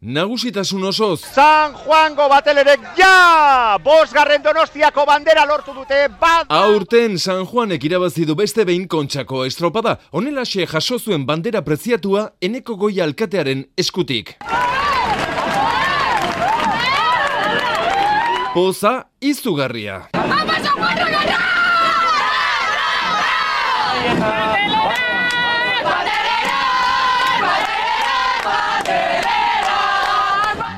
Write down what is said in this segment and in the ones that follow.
Nagusitasun osoz. San Juango batelerek ja! 5. Donostiako bandera lortu dute bat! Aurten San Juanek irabazi du beste behin Kontxako estropada. Honelaxe jaso zuen bandera preziatua Eneko Goia alkatearen eskutik. Poza izugarria.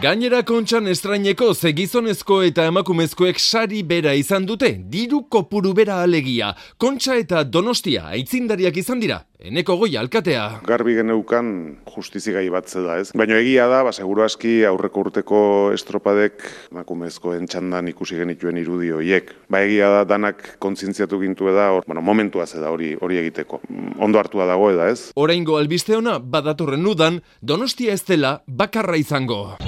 Gainera Kontxan estraineko ze gizonezko eta emakumezkoek sari bera izan dute, diru kopuru bera alegia. Kontxa eta Donostia aitzindariak izan dira, Eneko Goia alkatea. Garbi geneukan justizigai bat da, ez? Baina egia da, seguru aski aurreko urteko estropadek emakumezkoen txandan ikusi genituen irudi horiek. Egia da, danak kontzientziatu gintu eda, momentua zeda hori egiteko. Ondo hartua dago eda, ez? Oraingo albiste ona, badatorren udan, Donostia ez dela bakarra izango.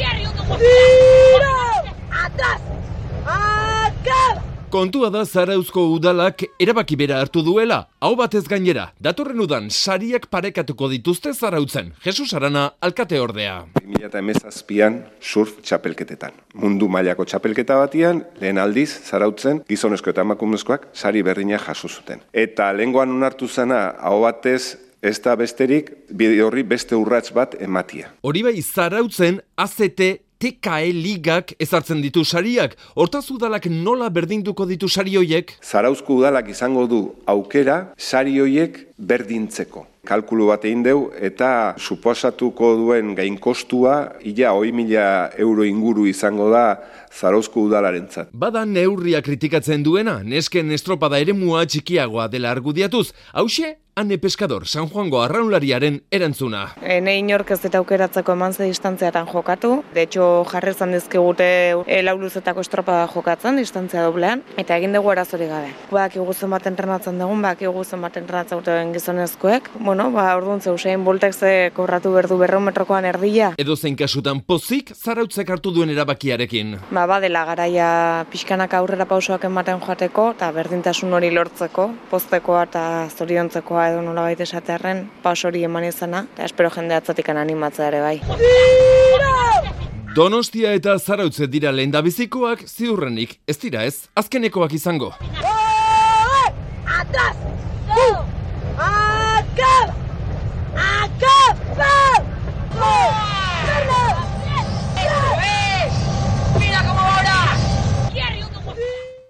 Kontua da Zarauzko udalak erabaki bera hartu duela, hau batez gainera, datorren udan sariak parekatuko dituzte Zarautzen. Jesus Arana, alkate ordea. 2017an surf txapelketetan. Mundu mailako txapelketa batian, lehen aldiz, Zarautzen, gizonezko eta emakumezkoak sari berdina jaso zuten. Eta lehengoan onartu zena, hau batez, ez da besterik, bide horri beste urrats bat ematia. Hori bai, Zarautzen, AZT, TKE ligak ezartzen ditu sariak. Hortaz udalak nola berdinduko ditu sari hoiek? Zarauzko udalak izango du aukera sari hoiek berdintzeko. Kalkulu bat egin deu eta suposatuko duen gainkostua ia 100.000 euro inguru izango da Zarauzko udalarentzat. Bada neurria kritikatzen duena, nesken estropada eremua txikiagoa dela argudiatuz. Hauxe, Ane Pescador, San Juango arraunlariaren erantzuna. Ne inork ez eta aukeratzeko eman ze distantziatan jokatu. De hecho, jarrezan dizkigute lau luzetako estropada jokatzen, distantzia doblean, eta egin dugu arazori gabe. Bakigu zenbat entrenatzen dugun, bakigu zenbat entrenatzen duten gizonezkoek. Orduan Usain Boltek ze kobratu berdu 200 metrokoan erdia. Edozein kasutan pozik Zarautzek hartu duen erabakiarekin. Badela garaia pixkanak aurrera pausoak ematen joateko, eta berdintasun hori lortzeko, poztekoa eta zoriontzekoa edo nolabait esatearren paus hori eman izana, eta espero jende atzatikan animatzea ere bai. Donostia eta Zarautze dira lehendabizikoak, ziurrenik ez dira ez, azkenekoak izango.